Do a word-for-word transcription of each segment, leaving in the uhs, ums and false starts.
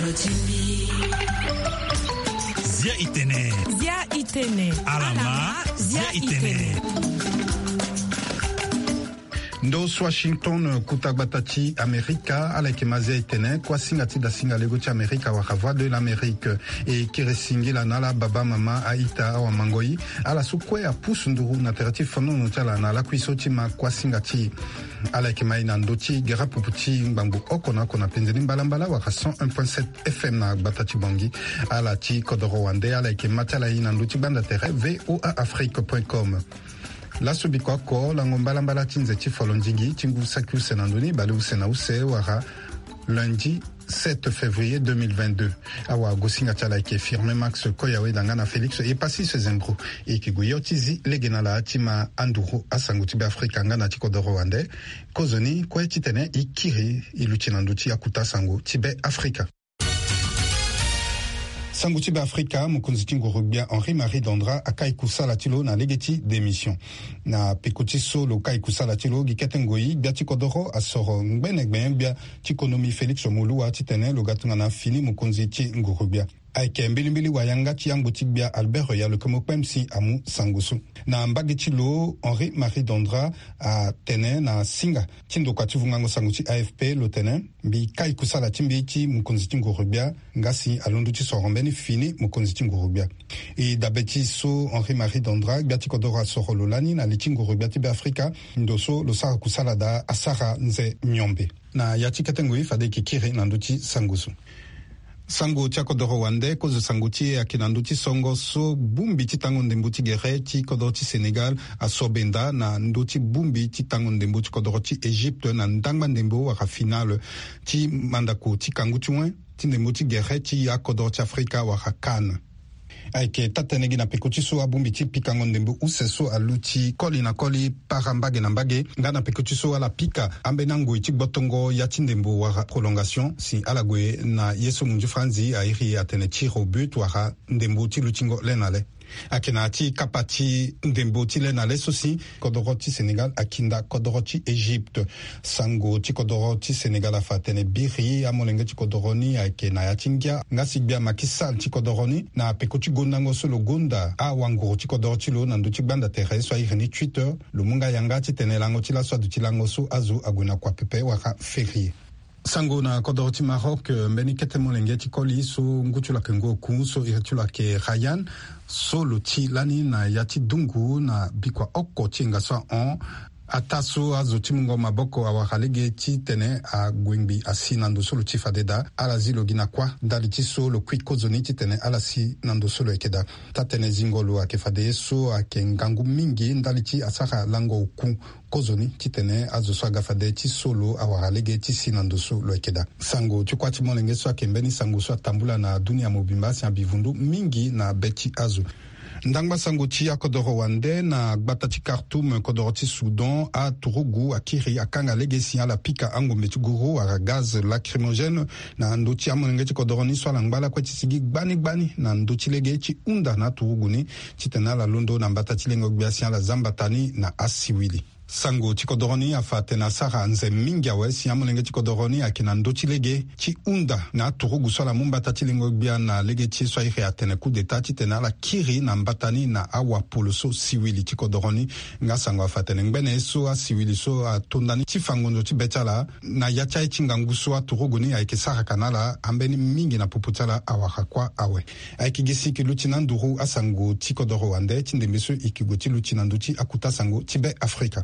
Zia itene. Zia itene. Alama. Zia itene. Ndo so Washington, kuta gbata ti Amerika, ala yeke ma zia itene, kuasinga ti dasinga lego ti Amerika wala Voix de l'Amérique. E kiri singila na ala baba, mama, a-ita, awamangoi, ala so kue apusu nduru na tere ti fonono ti ala na lakui so ti ma kuasinga ti e. Ala yeke ma e na ndö ti gere pupu ti ngbangbo oko na oko na penze ni mbalambala wala cent un point sept F M na gbata ti Bangui. Ala ti kodoro wande, ala yeke ma ti ala e na ndö ti gbanda tere V O A Afrique point com. Laso biko oko, lango mbalambala ti nze ti folondingi ti ngu saki use na ndö ni, bale use na use wala lundi sept février deux mille vingt-deux. Awagosinga ti ala ayeke Firmin Max Koyawe, danga na Félix Epassis Zembro. E yeke gue yo ti zi lege na ala ti ma anduru asango ti Be Afrika nga na ti kodoro wande. Kozoni kue titene e kiri e luti na ndö ti akuta sango ti Be Afrika. Sango ti Be Afrika, mokonzi ti nguru-gbia Henri Marie Dandra akai kusala ti lo na lege ti démission. Na peko ti so lo kai kusala ti lo, gi kete ngoi gbia ti kodoro asoro ngbene gbenyo-gbia ti konomi Félix Moloua titene lo ga tongana fini mokonzi ti nguru-gbia. Ayeke mbilimbili wayanga ti yangbo ti gbia Albert Yalokemo Kpem si amu sango so. Na mbage ti lo, Henri Marie Dandra atene na singa ti ndokua ti vungango sango ti A F P, lo tene: Mbi kai kusala ti mbi ti mokonzi ti nguru-gbia, nga si alondo ti soro mbeni fini mokonzi ti nguru-gbia. E dabe ti so Henri Marie Dandra, gbia ti kodoro, asoro lo lani na li ti nguru-gbia ti Be Afrika, ndo so lo sara kusala daa asara nze miombe. Na ya ti kete ngoi fade e yeke kiri na ndö ti sango so. Sango ti akodoro wande, kozo sango ti e ayeke na ndö ti songo so bongbi ti tango ndembo ti gere ti kodoro ti Sénégal aso benda na ndö ti bongbi ti tango ndembo ti kodoro ti Égypte na ndangba ndembo wala finale ti mandako ti kangu ti wen ti ndembo ti gere ti akodoro ti Afrika wala CAN. Ayeke taa-tënë gi na peko ti so abongbi ti pikango ndembo use so aluti koli na koli, para mbage na mbage, nga na peko ti so ala pika ambeni angoi ti gbotongo ya ti ndembo wala prolongation, si ala gue na ye so munzu franzi airi atene tir au but wala ndembo ti lutingo le na le. Ayeke na ya ti kapa ti ndembo ti le na le so si kodoro ti Sénégal akinda kodoro ti Égypte. Sango ti kodoro ti Sénégal afa atene biri amolenge ti kodoro ni ayeke na ya ti ngia, nga si gbia Macky Sall ti kodoro ni, na peko ti gondango so lo gonda awanguru ti kodoro ti lo na ndö ti gbanda tere so airi ni Twitter, lo mu nga yanga titene lango ti laso aduti lango so azo ague na kua pepe wala férié. Sango na kodoro ti Maroc, eh, mbeni kete molenge ti koli so ngu ti lo ayeke ngu oku, so iri ti lo ayeke Rayan, so lo ti lani na ya ti dungu na bikua oko ti enga so ahon. Ataa so azo ti mungo maboko awara lege titene ague ngbii asi na ndo so lo ti fade daa, ala zi lo gi na kuâ ndali ti so lo kui kozoni titene ala si na ndo so lo yeke daa. Taa-tënë zingo lo ayeke fade ye so ayeke ngangu mingi ndali ti asara lango oku kozoni titene azo so aga fade ti so lo awara lege ti si na ndo so lo yeke daa. Sango ti kuâ ti molenge so ayeke mbeni sango so atambula na dunia mobimba si abivundu mingi na be ti azo. Ndangba sango ti akodoro wande, na gbata ti Khartoum, kodoro ti Soudan, aturugu akiri akanga lege si ala pika angombe ti guru wala gaz lacrymogène na ndö ti amolenge ti kodoro ni so ala ngba lakue ti sigi gbani gbani na ndö ti lege ti hunda na aturugu ni titene ala londo na mbata ti lengo-gbia si ala za mbata ni na asiwili. Sango ti kodoro ni afa atene asara nze mingi awe si amolenge ti kodoro ni ayeke na ndö ti lege ti hunda na aturugu so ala mu mbata ti lengo-gbia na lege ti ye so airi atene coup d'État titene ala kiri na mbata ni na awapolo so siwili ti kodoro ni. Nga sango afa atene ngbene ye so asiwili so ato ndani ti fa ngonzo ti be ti ala na ya ti aye ti ngangu so aturugu ni ayeke saraka na ala ambeni mingi na popo ti ala awara kuâ awe. Ayeke gi si e yeke luti na nduru asango ti kodoro wande ti ndembe so e yeke gue ti luti na ndö ti akuta sango ti Be Afrika.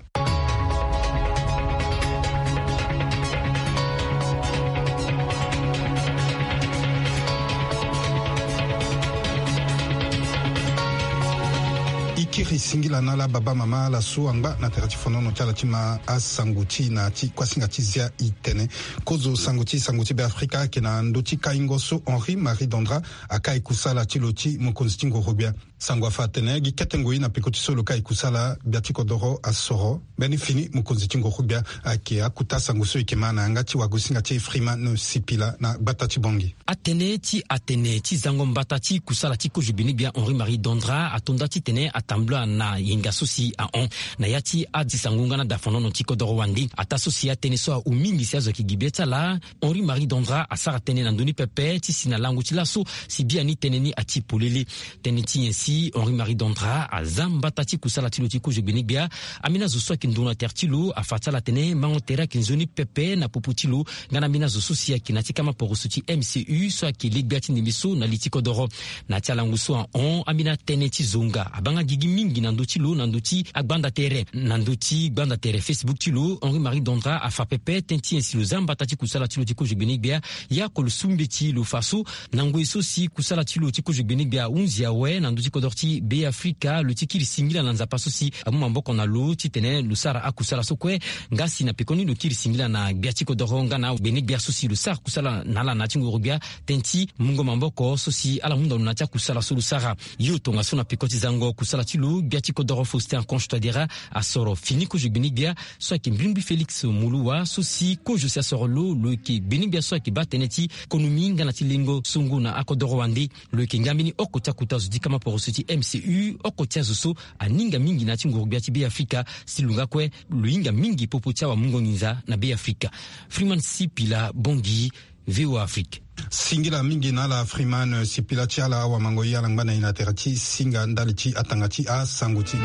E kiri singila na ala baba mama ala so angba na tere ti fonono ti ala ti ma asango ti e na ya ti kuasinga ti zia itene. Kozo sango ti sango ti Be Afrika ayeke na ndö ti kaingo so Henri Marie Dandra akai kusala ti lo ti mokonzi ti ngorogbia. Sango afa atene gi kete ngoi na peko ti so lo kai kusala gbia ti kodoro asoro. Mbeni fini mokonzi ti nguru gbia ayeke akuta sango so e yeke ma na yanga ti wagosinga ti Freeman Sipila na gbata ti Bongi. Atënë ti atene ti zango mbata ti kusala ti kozo gbene gbia Henri Marie Dondra atonda titene atambula na yenga so si ahon na ya ti azi sango nga na dafonono ti kodoro wande. Ataa so si atënë so ahu mingi si azo ayeke gi be ti ala, Henri Marie Dondra asara tënë na ndö ni pepe ti si na lango ti laso si biani tënë ni ati polele. Tënë ti nyen si Henri Marie Dondra aza mbata ti kusala ti lo ti kozo gbene gbia? Ambeni azo so ayeke nduru na tere ti lo afa ti ala atene mango tere ayeke nzoni pepe na popo ti lo nga na ambeni azo so si ayeke na ya ti kama poroso ti M C U so ayeke le gbia ti ndembe so na li ti kodoro. Na ya ti alango so ahon, ambeni atënë ti zonga abaa nga gigi mingi na ndö ti lo na ndö ti agbanda tere, na ndö ti gbanda tere Facebook ti lo. Henri Marie Dondra afa pepe tënë ti nyen si lo za mbata ti kusala ti lo ti kozo gbene gbia. Ya oko lo su mbeti lo fa so na ngoi so si kusala ti lo ti kozo gbene gbia ahunzi awe na ndö ti kodoro ti Be Afrika, lo ti kiri singila na Nzapa so si amu maboko na lo titene lo sara akusala so kue. Nga si na pekoni lo kiri singila na gbia ti kodoro nga na gbene gbia so si lo sara kusala na ala na ya ti nguru gbia, tënë ti mungo maboko so si ala hunda lo na ya ti akusala so lo sara. Yo tongaso na peko ti zango kusala ti lo, gbia ti kodoro Faustin Archange Touadéra asoro fini kozo gbene gbia so ayeke mbrimbri Félix Moloua, so si kozo si asoro lo, lo yeke gbene gbia so ayeke baa tënë ti konomi nga na ti lengo songo na akodoro wande. Lo yeke nga mbeni oko ti akuta zo ti kama poroso ti M C U, oko ti azo so aninga mingi na ya ti nguru gbia ti Be Afrika. Si lo nga kue lo hinga mingi popo ti awamungo nginza na Be Afrika. Freeman Sipila, Bongi, V O A Afrique. Singila mingi na ala Freeman Sipila ti ala awamango ye ala ngba na e na tere ti singa ndali ti atanga ti asango ti e.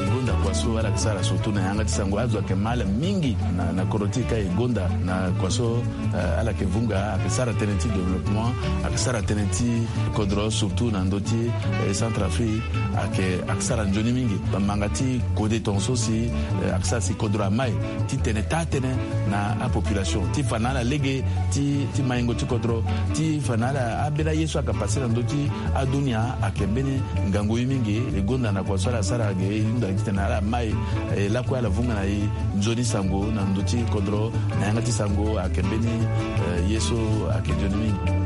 Gonda kua so ala yeke sara surtout na yanga ti sango, azo ayeke ma ala mingi na, na kodro ti e ka e gonda na kua so, eh, ala yeke vunga, ayeke sara tënë ti développement, ayeke sara tënë ti kodro surtout na ndö ti, eh, Centrafrique, ayeke, ayeke sara nzoni mingi. Bamanga ti kode tongaso si, eh, ayeke sara si kodro amai titene taa tënë na apopulation ti fa na ala lege ti, ti maingo ti kodro, ti fa na ala ambeni aye so ayeke pase na ndö ti adunia. Ayeke mbeni ngangu ye mingi. E gonda na kua so ala sara ge, e hunda titene ala mai, eh, lakue ala vunga na e nzoni sango na ndö ti kodro. Na yanga ti sango ayeke mbeni, eh, ye so ayeke nzoni mingi.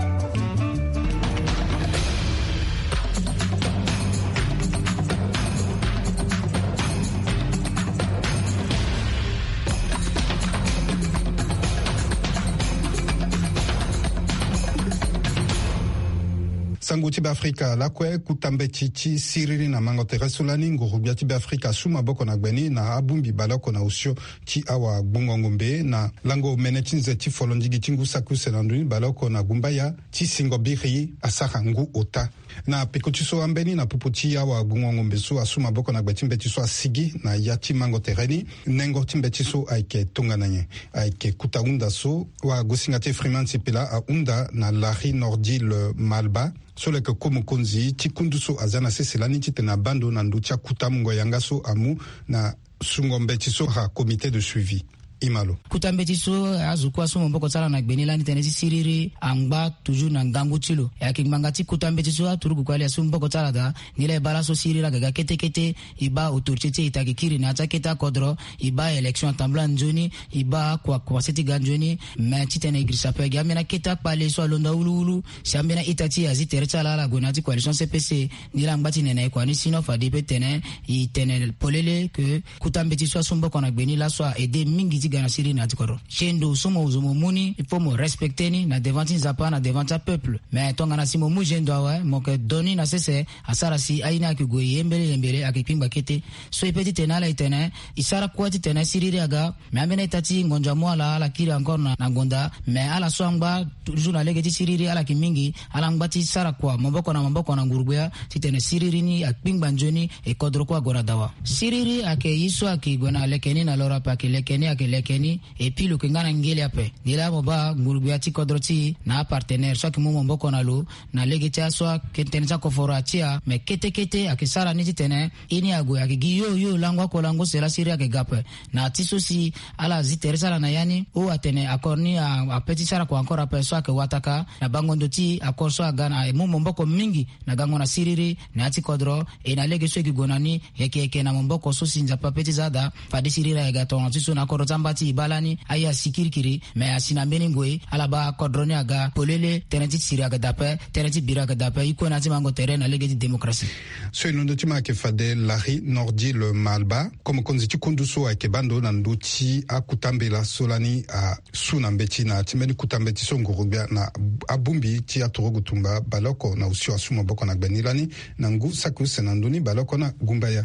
Sango ti Beafrika lakue, kuta mbeti ti siriri na mango tere so lani nguru-gbia ti Beafrika asu maboko na gbe ni na abongbi baleoko na osio ti awagbongo ngombe na lango mene ti nze ti folondigi ti ngu saki use na ndoni baleoko na gumbaya ti singo biri asara ngu ota. Na peko ti so ambeni na popo ti awagbongo ngombe so asu maboko na gbe ti mbeti so asigi na ya ti mango tere ni, nengo ti mbeti so ayeke tongana nyen? Ayeke kuta hunda so wagosinga ti Freeman Sipila ahunda na Larry Nordil Malba, so lo yeke ko mokonzi ti kundu so aza na sese lani titene abaa ndo na ndö ti akuta mungo yanga so amu na sungo mbeti so ha comité de suivi. Imalo. Kuta mbeti so azo kue asu maboko ti ala na gbe ni lani tënë ti siriri angba toujours na ngangu ti lo. E ayeke ngbanga ti kuta mbeti so aturugu kue ali asu maboko ti ala daa. Nilaa e baa laso siriri aga ga kete kete. E baa autorité ti e ita gi kiri na ya ti akete akodro. E baa élection atambula nzoni. E baa kua kua se ti ga nzoni. Me titene e girisa ape gi ambeni akete akpale so alondo awuluwulu. Si ambeni a-ita ti e azi tere ti ala ala gue na ya ti coalition C P C. Nilaa angba ti nene e kua ni si non fade e peut tene e tene polele ke kuta mbeti so asu maboko na gbe ni laso a aide mingi ti ga na siriri na ya ti kodro. Gendo so mo zo mo mu ni il faut mo respecter ni na devant ti Nzapa na devant ti apeuple. Mais tongana si mo mu gendo awe mo yeke do ni na sese. Asara si aye ni ayeke gue yembele yembele ayeke kpingba kete. So e peut titene ala e tene e sara kue titene siriri aga. Mais ambeni a-ita ti ngonzo amu ala ala kiri encore na, na gonda. Mais ala so angba toujours na lege ti siriri ala yeke mingi. Ala ngba ti sara kua maboko na maboko na nguru-gbia titene siriri ni akpingba nzoni. E kodro kue ague na dawa. Siriri ayeke ye so ayeke gue na leke ni na loro ape ayeke leke ni ayeke leke ni. Et puis lo yeke nga na ngele ape. Nilaa mo baa nguru-gbia ti kodro ti e na apartenaire so ayeke mu maboko na lo na lege ti aso ayeke tënë ti akoforo atia. Mais kete kete ayeke sara ni titene e ni ague ayeke gi yo yo lango oko lango use laa siriri ayeke ga ape. Na ti so si ala zi tere ti ala na ya ni o atene accord ni a, ape ti sara kua encore ape so ayeke wataka. Na bango ndo ti accord so aga na e mu maboko mingi na gango na siriri na ya ti kodro. E na lege so e gi gue na ni yeke yeke na maboko so si Nzapa ape ti za daa. Fade siriri ayeke ga tongana ti so na akodro ti amba. ti e baa lani aye asi kirikiri. Me asi na mbeni ngoi ala baa kodro ni aga polele, tënë ti siri ayeke daa ape, tënë ti biri ayeke daa ape. E kue na ya ti mango tere na lege ti démocratie. So e londo ti ma ayeke fade Larry Nordy le Malba, komokonzi ti kundu so ayeke baa ndo na ndö ti akuta mbela so lani asu na mbeti na ya ti mbeni kuta mbeti so nguru-gbia na abongbi ti aturugu tumba baleoko na osio asu maboko na gbe ni lani na ngu saki use na ndö ni baleoko na gumbaya.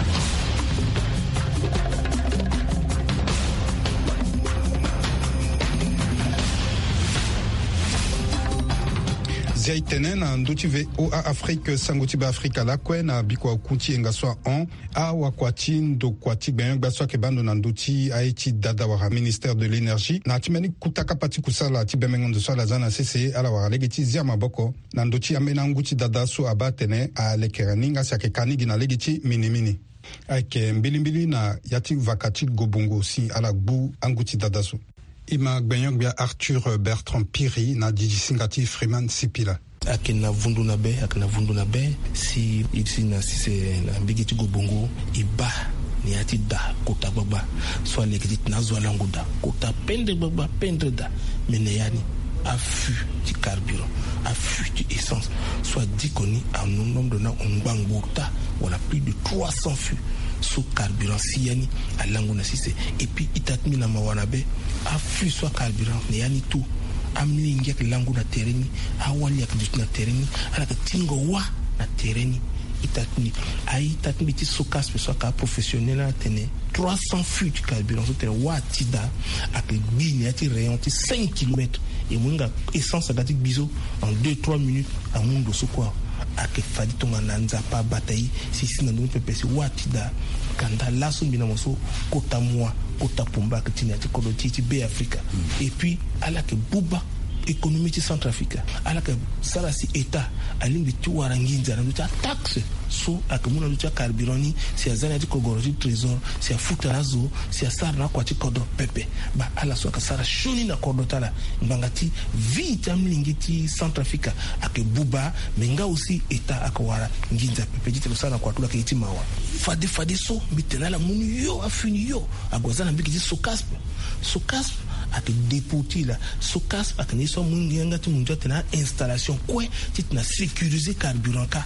Zia e tene na ndö ti V O A Afrique, sango ti Beafrika lakue na bikua oku ti yenga so ahon. Awakua ti ndokua ti gbenyo-gbia so ayeke baa ndo na ndö ti aye ti dada wala ministère de l'énergie na ya ti mbeni kuta kapa ti kusala ti bembengo ndo so ala za na sese, ala wara lege ti zia maboko na ndö ti ambeni angu ti dada so abaa atene alekere ni nga si ayeke ka ni gi na lege ti minimini. Ayeke mbilimbili na ya ti vaka ti gobongo si ala gbu angu ti dada so. E ma gbenyo-gbia Arthur Bertrand Piri na didi singa ti Freeman Sipila. Ayeke na vundu na be, ayeke na vundu na be si e si na sise na mbege ti gobongo e baa na ya ti da kota gbagba so aleke ti tena azo alango da kota pendre gbagba, pendre da. Me na ya ni, affût ti carburant, affût ti essence so adiko ni, anombre na ngbangbo ota wala plus de trois cents fûts so carburant si ya ni alango na sise. Et puis ita ti mbi na mawa na be, affût so acarburant na ya ni tout. Amolenge ayeke lango na tere ni, awali ayeke duti na tere ni, ala yeke tingo wâ na tere ni. Ita ti mbi, aita ti mbi ti Socasp so ayeke aprofessionnel ni atene trois cents fûts ti carburant so tene wâ ti da ayeke gbi na ya ti rayon ti cinq kilomètres. E mu hinga essence aga ti gbi so en deux trois minutes amu ndo so kue. Ayeke fade tongana Nzapa abata e si e si na ndö ni pepe si wâ ti da. Kanda laso mbi na mo so kota mua, kota pumba ayeke ti na ya ti kodro ti e ti Beafrika. Et puis ala yeke buba économie ti Centrafrique. Ala yeke sara si État alingbi ti wara nginza na ndö ti ataxe so ayeke mu na ndö ti acarburant ni, si aza na ya ti kogoro ti trésor, si afuta na azo, si asara na akua ti kodro pepe. Baa ala so ayeke sara sioni na kodro ti ala ngbanga ti vie ti amolenge ti Centrafrique ayeke buba. Me nga aussi État ayeke wara nginza pepe ti tene lo sara na kua ti lo ayeke ye ti mawa. Fade fadeso mbi tene ala mu ni yo, afini yo, ague aza na mbege ti Socasp. Socasp ayeke dépôt ti e laa. Socasp ayeke na ye so amu yanga ti mundu atene a-installation kue ti tena sécuriser carburant kâ.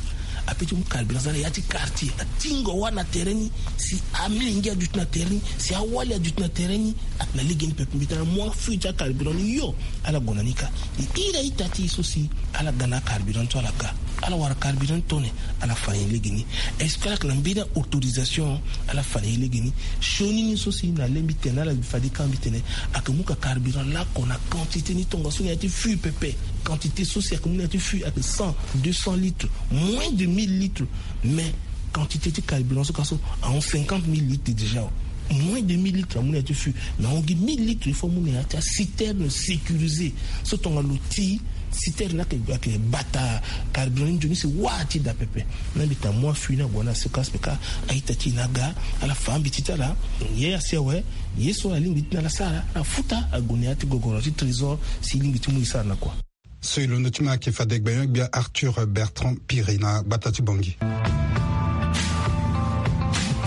Ape ti mu carburant aza na ya ti quartier, atingo wâ na tere ni, si amolenge aduti na tere ni, si awali aduti na tere ni. Ayeke na lege ni pepe mbi tene ala mu affût ti acarburant ni yo, ala gue na ni kâ. E iri a-ita ti e so si ala ga na acarburant so ala ga, ala wara carburant ni tone, ala fa na e lege ni. Est-ce que ala yeke na mbeni autorisation? Ala fa na e lege ni. Sioni ni so si na le mbi tene na ala fade kâ mbi tene ayeke mu ka carburant lakue na quantité ni tongaso na ya ti fût pepe. Quantité so si ayeke mu na ya ti fût ayeke cent, deux cents litres, moins de mille litres. Mais quantité ti carburant so kâ so ahon cinquante mille litres déjà. Moins de mille litres amu na ya ti fût, mais ahon gi mille litres il faut amu na ya ti aciterne sécurisée. So tongana lo ti citerne ni ayeke, ayeke bata carburant ni nzoni si wâ ti da pepe. Na mbi tene amu affût ni ague na Socasp kâ, a-ita ti e ni aga, ala fa ambeti ti ala. Ye asi awe, ye so alingbi ti na ala sara, ala futa ague na ya ti gogoro ti trésor si e lingbi ti mu e sara na kua. So e londo ti ma ayeke fade gbenyo-gbia Arthur Bertrand Piri na gbata ti Bangui.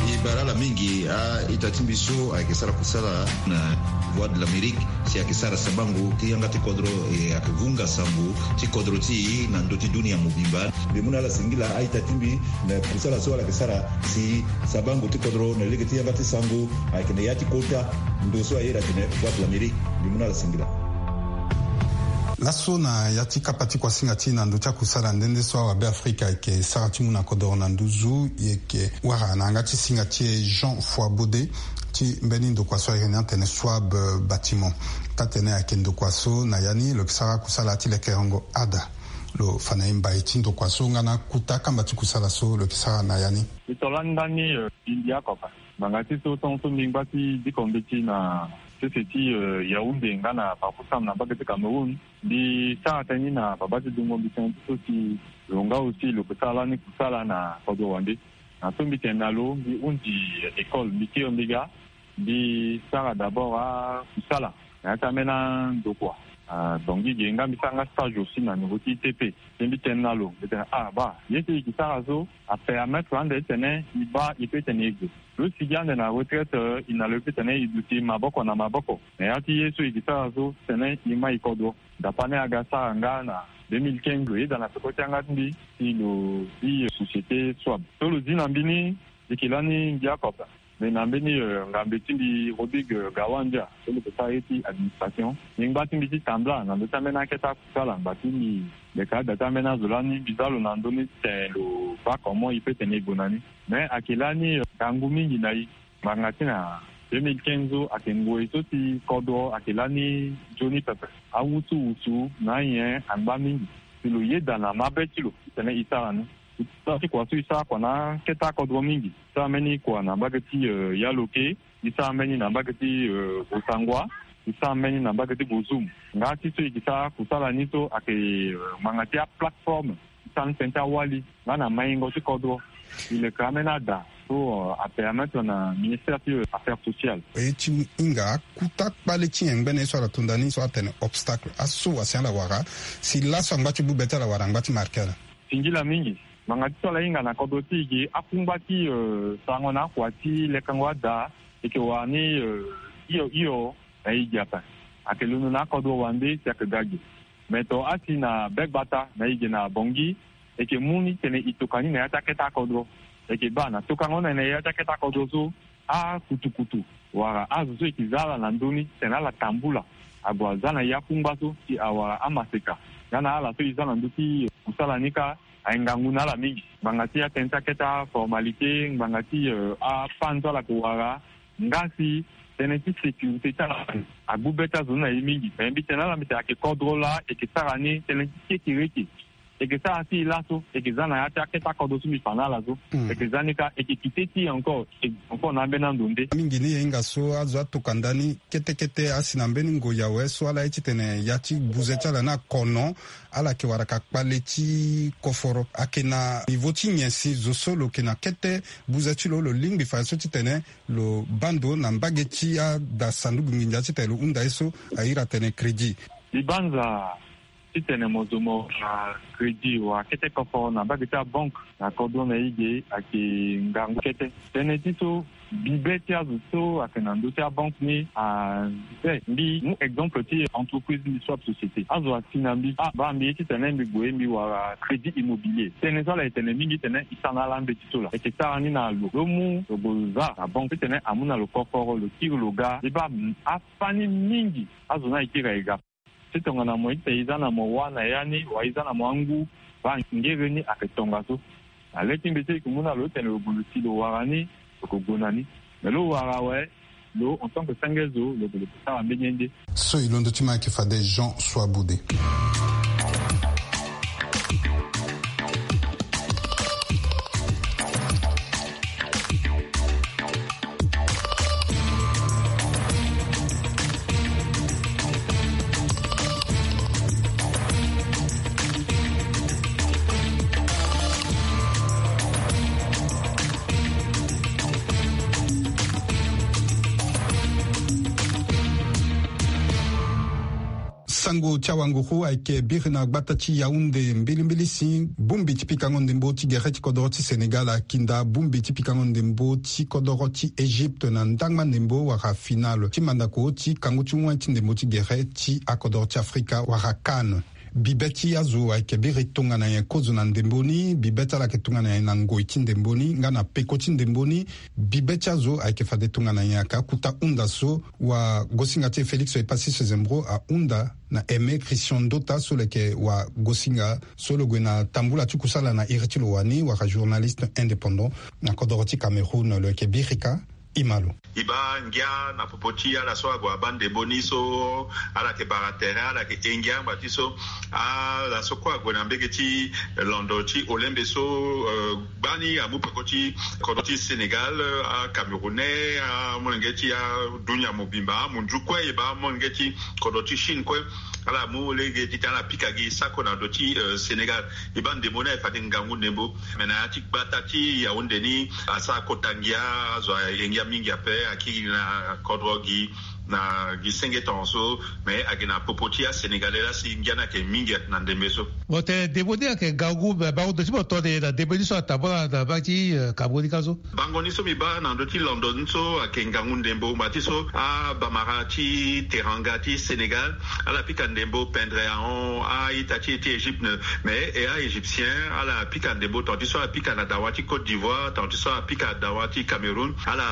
E bara ala mingi a-ita ti mbi so ayeke sara kusala na Voix de l'Amérique, si ayeke sara sabango ti yanga ti kodro, e ayeke vunga sango ti kodro ti e na ndö ti dunia mobimba. Mbi mu na ala singila a-ita ti mbi na kusala so ala yeke sara si sabango ti kodro na lege ti yanga ti sango ayeke na ya ti kota ndo so aye ira atene Voix de l'Amérique. Mbi mu na ala singila. Laso na ya ti kapa ti kuasinga ti e na ndö ti akusala nde nde so awabe Afrika ayeke sara ti mu na kodoro na nduzu, e yeke wara na yanga ti singa ti e Jean Foibaudet ti mbeni ndokua so ayeke ni atene Swab, euh, Bâtiment. Taa-tene ayeke ndokua so na ya ni lo yeke sara akusala ti lekerengo ada. Lo fa na e mbai ti ndokua so nga na akuta kamba ti kusala so lo yeke sara na ya ni. E to lani ndani, euh, mbi mbi oko ape. Ngbanga ti so tongaso mbi ngba ti diko mbeti na sese ti, euh, Yaoundé nga na Bafoussam na mbage ti Cameroun. Mbi sara tënë ni na babâ ti dungo mbi tënë ti so si lo nga aussi lo ke sara lani kusala na kodro wande. Na so mbi tene na lo, mbi hunzi école, mbi kiri mbi ga, mbi sara d'abord akusala. na ya ti ambeni andokua. Ah, donc i ge nga mbi sara nga stage aussi na niveau ti I T P. Ti mbi tene na lo, mbi tene ah ba ye ti i gi sara so apermettre ande titene i baa i pe tene i gue. Lo sigi ande na retraite, eh, i na lo i pe tene i duti maboko na maboko na ya ti ye so i gi sara so titene i ma i kodro. Dapa ni aga sara nga na deux mille quinze, lo yeda na peko ti yanga ti mbi si lo zi, eh, société Swab. So lo zi na mbi ni, e yeke lani mbi akota. Mais na mbeni, eh, ngambe ti mbi Rodrigue, eh, Gawandia, so lo yeke sara ye ti administration. Ni ngba ti mbi ti tambula na ndö ti ambeni akete akusala ngba ti mbi. Mbi yeke ada ti ambeni azo lani mbi za lo na ndö ni titene lo baa comment i pe tene e gue na ni. Mais ayeke lani, eh, ngangu mingi na e. Ngbanga ti na deux mille quinze so ayeke ngoi so ti kodro ayeke lani nzoni pepe. Awusuwusu na anyen angba mingi. Si lo yeda na mabe ti lo titene e sara ni. Sara ti kua so e sara kua na akete akodro mingi. E sara mbeni kua na mbage ti, eh, Yaloke. E sara mbeni na mbage ti, eh, Bossangoa. E sara mbeni na mbage ti Bozoum. Nga ti so e gi sara kusala ni so ayeke, eh, ngbanga ti aplateforme ti sara ni tënë ti awali nga na maingo ti kodro. E leke ambeni ada so, eh, apermettre na ministère ti, eh, affaires sociales. E ti hinga akuta kpale ti nyen ngbene ye so ala to nda ni so atene obstacle? Aso wasi ala wara si laso angba ti gbu be ti ala wala angba ti marke ala? Singila mingi. Ngbanga ti so ala hinga na kodro ti e ge akungba ti, eh, sarango na akua ti lekango ada. E yeke wara ni, eh, hio hio na e ge ape. Ayeke londo na akodro wande si ayeke ga ge. Me to asi na be gbata na e ge na Bangui, e yeke mu ni titene e toka ni na ya ti akete akodro. E yeke baa na tokango ni na e na ya ti akete akodro so, akutukutu wala azo so e yeke za ala na ndö ni titene ala tambula ague aza na e akungba so si awara amaseka. Nga na ala so e za na ndö ti kusala ni kâ, aye ngangu na ala mingi. Ngbanga ti atënë ti akete aformalité, ngbanga ti, eh, apanne so ala yeke wara, nga si tënë ti sécurité ti ala, agbu be ti azo ni na e mingi. Me mbi tene na ala mbi tene ayeke kodro laa e yeke sara ni tënë ti kekereke. E yeke sara ti e laso, e yeke za na ya ti akete akodro so mbi fa na ala so. Hmm. E yeke za ni kâ, e yeke kite ti e encore, e encore na ambeni ando nde. Mingi ni e hinga so azo atoka nda ni kete kete asi na mbeni ngoi awe so ala ye titene ya ti buze ti ala ni akono, ala yeke wara ka kpale ti koforo. Ayeke na niveau ti nyen si zo so lo yeke na kete buze ti lo, lo lingbi fa ye so titene lo baa ndo na mbage ti ada sanduku nginza titene lo hunda ye so a iri atene crédit? Mbi banza titene mo zo mo, ah, crédit wala kete koforo na mbage ti abanque na kodro na e ge ayeke ngangu kete. Tënë ti so, bibe ti azo so ayeke na ndö ti abanque ni, ah, eh, mbi mu exemple ti entreprise ni, Swab Société. Azo asi na mbi, ah, baa mbi ye titene mbi gue mbi wara crédit immobilier. Tënë so ala yeke tene mingi titene e sara na ala mbeti so laa. E yeke sara ni na lo, lo mu lo gue lo za na banque titene amu na lo koforo, lo kiri lo ga. E baa, mm, afani mingi azo ni ayeke kiri aye ga. Ti tongana mo ita e za na mo wâ na ya ni wala e za na mo angu, baa ngere ni ayeke tongaso. Na le ti mbi so e yeke mu na lo titene lo gue lo si lo wara ni, lo yeke gue na ni. Me lo wara awe, lo en tant que senge zo, lo gue lo yeke sara mbeni ye nde. So e londo ti mo ayeke fade Jean Soaboude. Sango ti awanguru ayeke biri na gbata ti Yaoundé. Mbilimbili si bongbi ti pikango ndembo ti gere ti kodoro ti Sénégal akinda bongbi ti pikango ndembo ti kodoro ti Égypte na ndangba ndembo wala finale ti mandako ti kango ti wen ti ndembo ti gere ti akodoro ti Afrika wala CAN. Bibe ti azo ayeke biri tongana nyen kozo na ndembo ni, bibe ti ala ayeke tongana nyen na ngoi ti ndembo ni nga na peko ti ndembo ni. Bibe ti azo ayeke fade tongana nyen? Ayeke akuta hunda so wagosinga ti e Félix Epassi Sezembro ahunda na Aimé Christian Ndota so lo yeke wagosinga so lo gue na tambula ti kusala na iri ti lo wani wala journaliste indépendant na kodoro ti Cameroun, lo yeke biri kâ. E ma lo. E baa ngia na popo ti ala so ague abaa ndembo ni so ala yeke bara tere, ala yeke he ngia ngba ti so ala so kue ague na mbege ti londo ti olembe so, eh, gbani amu peko ti kodro ti Sénégal, eh, aCamerounais, amolenge ti adunia mobimba, amunzu kue e baa amolenge ti kodro ti Chine kue. Ala mu lege titene ala pika gi sako na ndö ti, eh, Sénégal. E baa ndembo ni aye fade ngangu ndembo. Me na ya ti gbata ti Yaoundé ni asara kota ngia, azo aye ngia mingi ape, akiri na kodro gi Na gi senge tongaso, mais ayeke na popo ti asénégalais laa si ngia ni ayeke mingi na ndembe so. Mo tene ndembo ni ayeke ngangu, mais bango ndo ti mo tene na ndembo ni so atambula na mbage ti, eh, Cameroun ni ka so. Bango ni so mbi baa na ndö ti lando ni so ayeke ngangu ndembo ngba ti so abamara ti Teranga ti Sénégal, ala pika ndembo pendre ahon a-ita ti e ti Égypte, mais e a-égyptien ala pika ndembo tonga ti so ala pika na dawa ti Côte d'Ivoire, tonga ti so ala pika dawa ti Cameroun, ala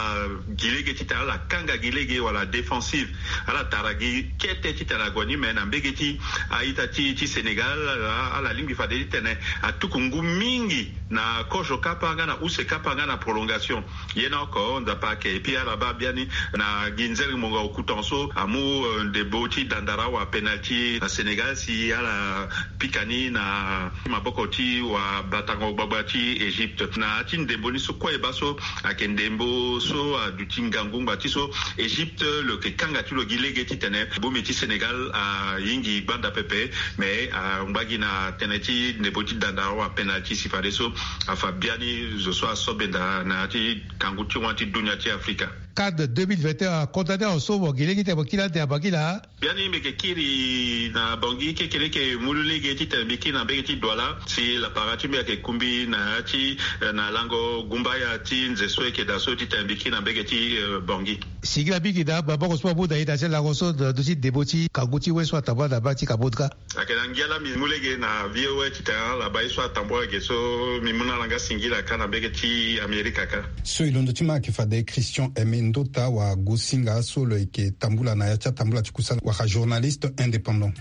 gi lege titene ala kanga gi lege wala défensive. Ala tara gi kete titene ague ni, mais na mbage ti a-ita ti, ti Sénégal, ala, ala lingbi fade titene atuku ngu mingi na kozo kapa nga na use kapa nga na prolongation. Ye ni oko Nzapa ayeke. Et puis ala baa biani na gi nzere monga oku tongaso amu, eh, ndembo ti dandara wala penalty na Sénégal si ala pika ni na maboko ti wabatango gbagba ti Égypte. Na ya ti ndembo ni so kue e baa so ayeke ndembo so aduti ngangu ngba ti so Égypte lo yeke kanga ti lo gi lege titene bongbi ti Sénégal ayingi gbanda pepe, mais angba gi na tënë ti ndembo ti dandara wala penalty si fadeso afa biani zo so aso benda na ya ti kangu ti wan ti dunia ti Afrika. CAN deux mille vingt et un acondamné awe so mo gi lege titene mo kiri ande na Bangui laa. Biani mbi yeke kiri na Bangui kekereke mu lege titene mbi kiri na mbage ti Douala si lapara ti mbi ayeke kumbi na ya ti, eh, na lango gumbaya ti nze so e yeke daa so titene mbi kiri na mbage ti, eh, Bangui. Singila mingi na maboko so mbi amu na e na ya ti lango so na ndö ti ndembo ti kangu ti we so atambula na mbage ti Cameroun ka. Ayeke na ngia laa mbi mu lege na V O A titene ala baa ye so atambula ge so mbi mu na ala nga singila ka na mbage ti Amerika ka. So e londo ti ma ayeke fade Christian Aimé Ndota wala Gosinga so lo yeke tambula na ya ti atambula ti kusala wala journaliste indépendant.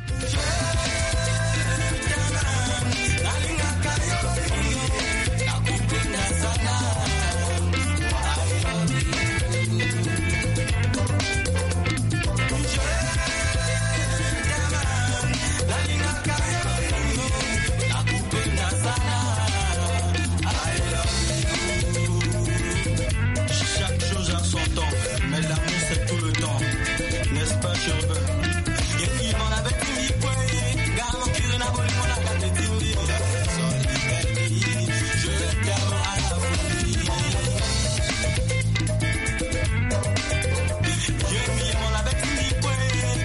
Chaque chose a son temps, mais l'amour c'est tout le temps. N'est-ce pas, Cherubin?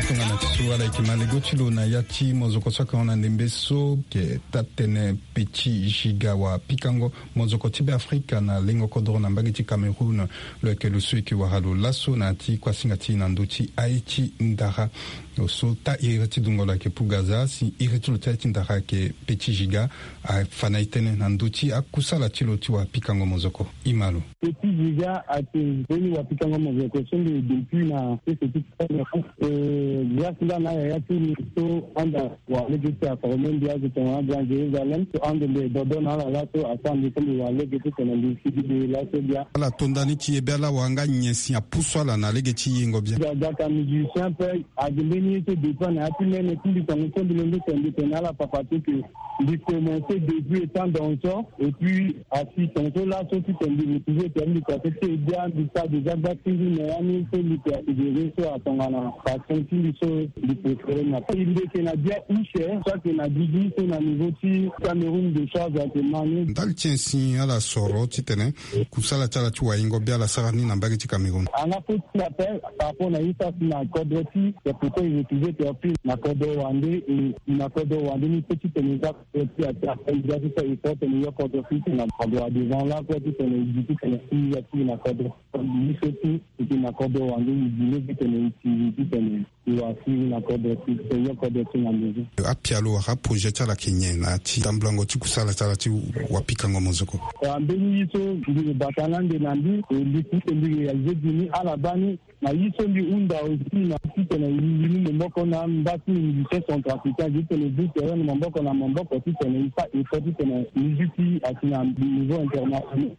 Tongana ti so ala yeke ma lego ti lo na ya ti mozoko so ayeke hon na ndembe so, ke taa-tene Petit Giga wa pikango mozoko ti Beafrika na lengo kodoro na mbage ti Cameroun. Lo yeke lo so e yeke wara lo laso na ya ti kuasinga ti e na ndö ti aye ti ndara. Lo so taa iri ti dungo lo ayeke Pugaza, si iri ti lo ti aye ti ndara ayeke Petit Giga, afa na e tënë na ndö ti akusala ti lo ti wa pikango mozoko. E ma lo. Petit Giga ayeke mbeni wa pikango mozoko so mbi depuis na sese ti Cameroun. Eh, grâce nga na ayaya ti mbi so anda wa lege ti aforme mbi azo tongana Grand Jérusalem so ande mbi dodo na ala laso asara mbi so mbi wa lege titene mbi sigi mbi laso bia. Ala to nda ni ti ye bia laa wa nga nyen si apusu ala na lege ti yengo bia. Ga, ga ka musicien ape. Agi mbeni ye so dépend na ya ti mene ti mbi tongaso mbi londo tene mbi tene na ala papa ti ke mbi commencé depuis étant danseur et puis asi tongaso laso titene mbi retrouvé tene mbi kua so ti e bia mbi sara déjà gba ti mbi me ya ni so mbi ke atigere so atongana passion ti mbi so mbi préféré na mbi yeke na bia use so ayeke na gigi so na niveau ti Cameroun de charge ayeke ma ni. Ndali ti nyen si ala soro titene kusala ti ala ti waingo bia ala sara ni na mbage ti Cameroun. Anga fo ti appel par rapport na ye so asi na kodro ti, c'est pourquoi il refusait de appuyer na kodro wande et na kodro wande ni pe titene za kodro ti ati appel za ti so effort tene yo kodro ti tene na kodro devant la kue titene e gi titene si ya ti na kodro. Ye so ti e ti na kodro wande e gi lege titene e ti titene. Wa si na kodro ti, ti yo kodro ti na ndezi. Apialo wala aprojet ti ala ayeke nyen na ya ti tambulango ti kusala ti ala ti wa pikango mozoko? Wa mbeni ye so mbi bata na ande na mbi, e, mbi ti mbi réalisé gi ni ala baa ni. Na ye so mbi hunda aussi na titene mbi mu maboko na mba ti musicien centrafricain, titene mbi tere na maboko na maboko titene e fa effort titene musique ti asi na niveau international.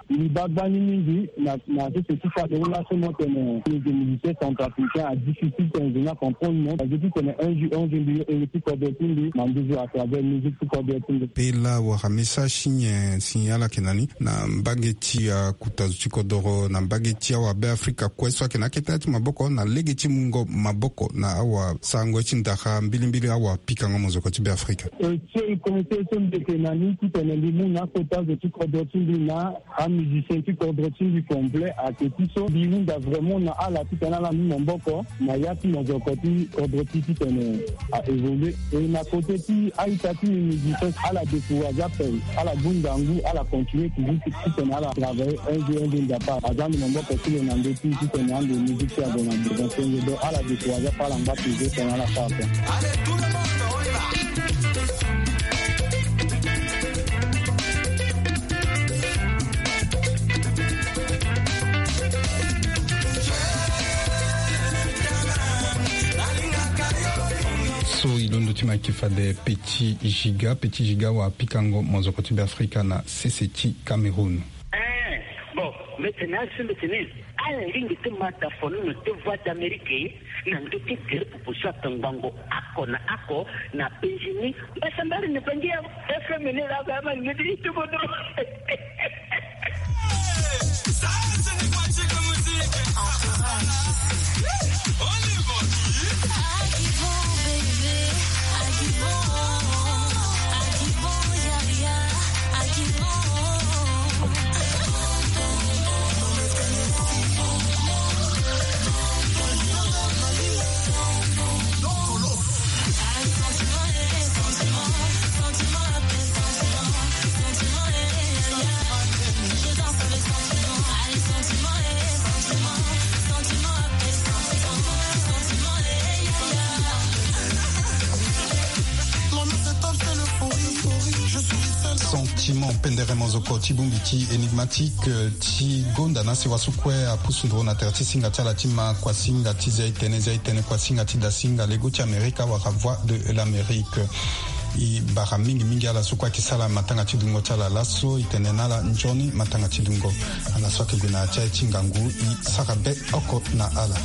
Mbi baa gbani mingi na, na sese ti Cameroun laso mo tene, tene musicien centrafricain a difficile tene nze ni acomprendre mo. Parce que ti tene un jour, un jour mbi yo ere ti kodro ti mbi na nduzu à travers musique ti kodro ti mbi. Pela wala message ti nyen si ala yeke na ni na mbage ti akuta zo ti kodoro, na mbage ti awabeafrika kue so ayeke na akete ti maboko na lege ti mungo maboko na awasarango ye ti ndara mbilimbili awapikango mozoko ti Beafrika? E, ti e conseil so mbi yeke na ni titene mbi mu na akota zo ti kodro ti mbi na ami Musicien ti kodro ti mbi complet ayeke ti so mbi hunda vraiment na ala titene ala mu maboko na ya ti mozoko ti kodro ti titene a évoluer. E na kote ti a-ita ti mbi musicien, ala décourager ape, ala gue ngangu, ala continuer toujours titene ala travailler un jour un jour nzapa aza ande maboko ti lo na ndö ti titene ande musique ti ague na devant ti nze. Donc ala décourager ape, ala ngba toujours titene ala sara ape. So e londo ti ma yeke fade Petit Giga. Petit Giga wa pikango mozoko ti Beafrika na sese ti Cameroun. Eh, bon, mbi tene asi mbi tene ala lingbi ti ma dafono na te Voix d'Amérique na ndö ti gere pupu so atongbango oko na oko na Benjini. Mbasambari ni bangi ya F M ni la ba ma ni ti tuko dro. Sentiment, pendere mozoko ti bongbi ti Enigmatique, eh, ti gonda na sewa so kue apusu nduru na tere ti singa ti ala ti ma kuasinga ti zia e tene, zia e tene kuasinga ti dasinga lego ti Amerika wala Voix de l'Amérique. E bara mingi mingi ala so kue ayeke sara matanga ti dungo ti ala laso. E tene na ala nzoni matanga ti dungo. Ala so ayeke gue na ya ti aye ti ngangu e sara be oko na ala.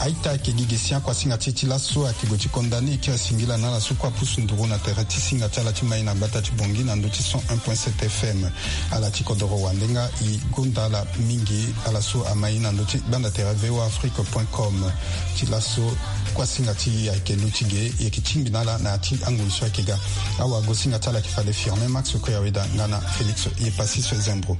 A-ita ayeke gi gi si akuasinga ti e ti laso ayeke gue ti condamné kiri singila na ala so kue apusu nduru na tere ti singa ti ala ti mai na gbata ti Bangui na ndö ti cent un point sept F M. Ala ti kodoro wande nga e gonda ala mingi, ala so amai na ndö ti gbanda tere V O A Afrique point com. Ti laso kuasinga ti e ayeke lu ti ge, e yeke tingbi na ala na ya ti angoi so ayeke ga. Awagosinga ti ala ayeke fade Firmin Max Koyaweda nga na Félix Yepassis Zembro.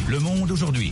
Le monde aujourd'hui.